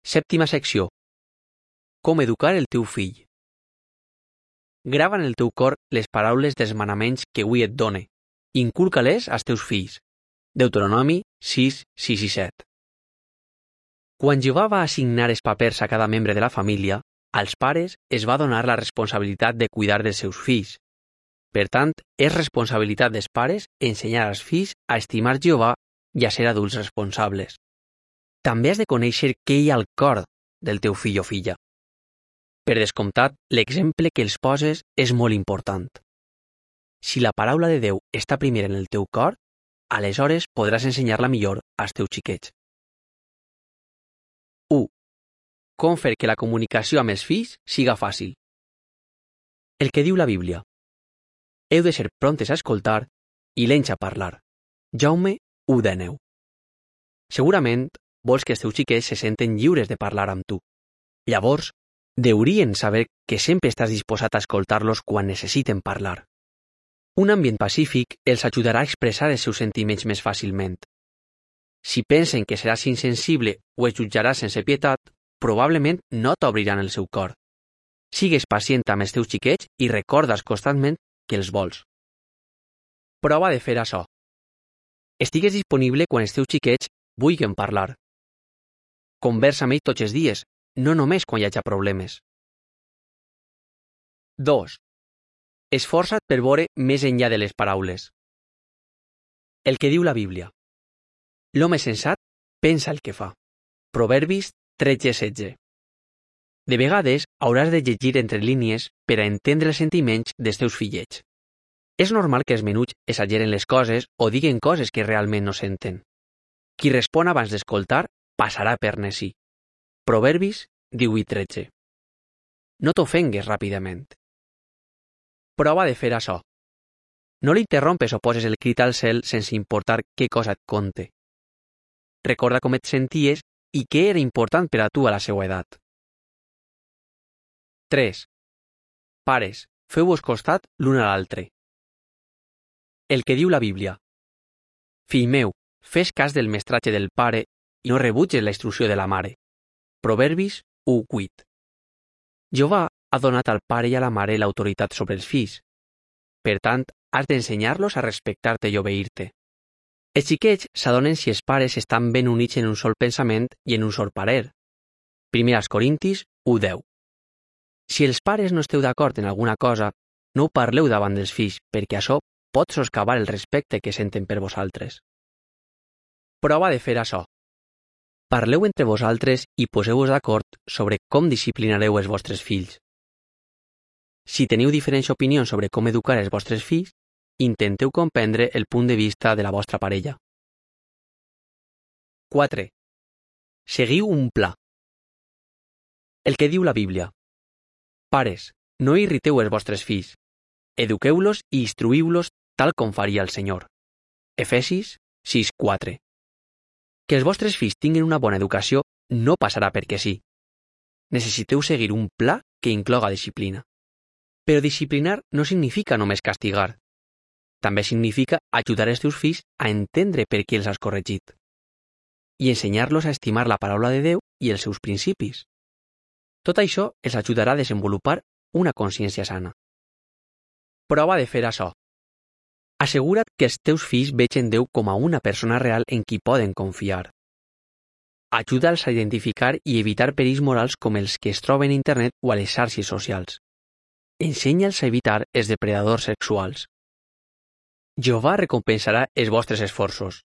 Sèptima secció. Com educar el teu fill. Grava en el teu cor les paraules dels manaments que avui et done. Inculca-les als teus fills. Deuteronomi 6, 6 i 7. Quan Jehovà va assignar els papers a cada membre de la família, als pares es va donar la responsabilitat de cuidar dels seus fills. Per tant, és responsabilitat dels pares ensenyar als fills a estimar Jehovà i a ser adults responsables. També has de conèixer què hi ha al cor del teu fill o filla. Per descomptat, l'exemple que els poses és molt important. Si la paraula de Déu està primer en el teu cor, aleshores podràs ensenyar-la millor als teus xiquets. 1. Com fer que la comunicació amb els fills siga fàcil. El que diu la Bíblia. Heu de ser prontes a escoltar i lents a parlar. Jaume 1:9. Segurament vols que els teus xiquets se senten lliures de parlar amb tu. Llavors, deurien saber que sempre estàs disposat a escoltar-los quan necessiten parlar. Un ambient pacífic els ajudarà a expressar els seus sentiments més fàcilment. Si pensen que seràs insensible o els jutjaràs sense pietat, probablement no t'obriran el seu cor. Sigues pacient amb els teus xiquets i recordes constantment que els vols. Prova de fer això. Estigues disponible quan els teus xiquets vulguin parlar. Conversa amb ells tots els dies, no només quan hi hagi problemes. 2. Esforça't per veure més enllà de les paraules. El que diu la Bíblia. L'home sensat pensa el que fa. Proverbis 13:16. De vegades hauràs de llegir entre línies per a entendre els sentiments dels teus fillets. És normal que els menuts exageren les coses o diguen coses que realment no senten. Qui respon abans d'escoltar passarà per necí. Proverbis 18:13. No t'ofengues ràpidament. Prova de fer això. No l'interrompes o poses el crit al cel sense importar què cosa et conte. Recorda com et senties i què era important per a tu a la seva edat. 3. Pares, feu-vos costat l'un a l'altre. El que diu la Bíblia. Fill meu, fes cas del mestratge del pare i no rebutges la instrucció de la mare. Proverbis 1:8. Jehovà ha donat al pare i a la mare l'autoritat sobre els fills. Per tant, has d'ensenyar-los a respectar-te i obeir-te. Els xiquets s'adonen si els pares estan ben units en un sol pensament i en un sol parer. 1 Corintis 1:10. Si els pares no esteu d'acord en alguna cosa, no ho parleu davant dels fills, perquè això pot soscavar el respecte que senten per vosaltres. Prova de fer això. Parleu entre vosaltres i poseu-vos d'acord sobre com disciplinareu els vostres fills. Si teniu diferents opinions sobre com educar els vostres fills, intenteu comprendre el punt de vista de la vostra parella. 4. Seguiu un pla. El que diu la Bíblia. Pares, no irriteu els vostres fills. Eduqueu-los i instruïu-los tal com faria el Senyor. Efesis 6:4. Que els vostres fills tinguin una bona educació no passarà perquè sí. Necessiteu seguir un pla que incloga disciplina. Però disciplinar no significa només castigar. També significa ajudar els teus fills a entendre per què els has corregit. I ensenyar-los a estimar la paraula de Déu i els seus principis. Tot això els ajudarà a desenvolupar una consciència sana. Prova de fer això. Assegura't que els teus fills vegin Déu com a una persona real en qui poden confiar. Ajuda'ls a identificar i evitar perills morals com els que es troben a internet o a les xarxes socials. Ensenya'ls a evitar els depredadors sexuals. Jehovà recompensarà els vostres esforços.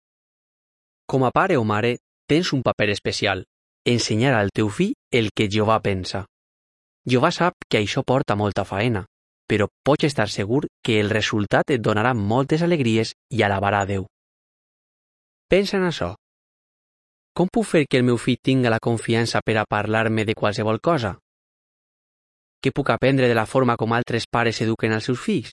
Com a pare o mare, tens un paper especial, ensenyar al teu fill el que Jehovà pensa. Jehovà sap que això porta molta faena, però pots estar segur que el resultat et donarà moltes alegries i alabarà a Déu. Pensa en això. Com puc fer que el meu fill tinga la confiança per a parlar-me de qualsevol cosa? Què puc aprendre de la forma com altres pares eduquen als seus fills?